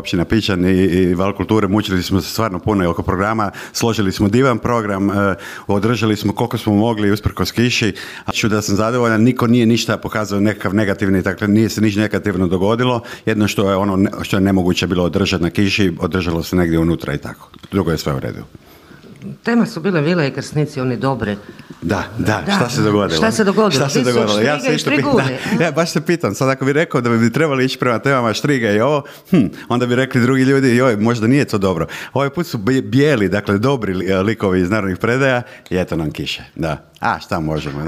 općina Pičan i Val kulture, mučili smo se stvarno puno i oko programa, složili smo divan program, održali smo koliko smo mogli usprkos kiši, a ću da sam zadovoljan, niko nije ništa pokazao nekakav negativni, dakle nije se ništa negativno dogodilo, jedno što je nemoguće bilo održati na kiši, održalo se negdje unutra i tako, drugo je sve u redu. Tema su bile vile i krsnici, oni dobre. Da, šta se dogodilo? Šta se dogodilo? Ja se isto pitam, ja baš se pitam, sad ako bi rekao da bi trebali ići prema temama štriga i ovo, onda bi rekli drugi ljudi, joj, možda nije to dobro. Ovaj put su bijeli, dakle dobri likovi iz narodnih predaja i eto nam kiše, da. A šta možemo, da.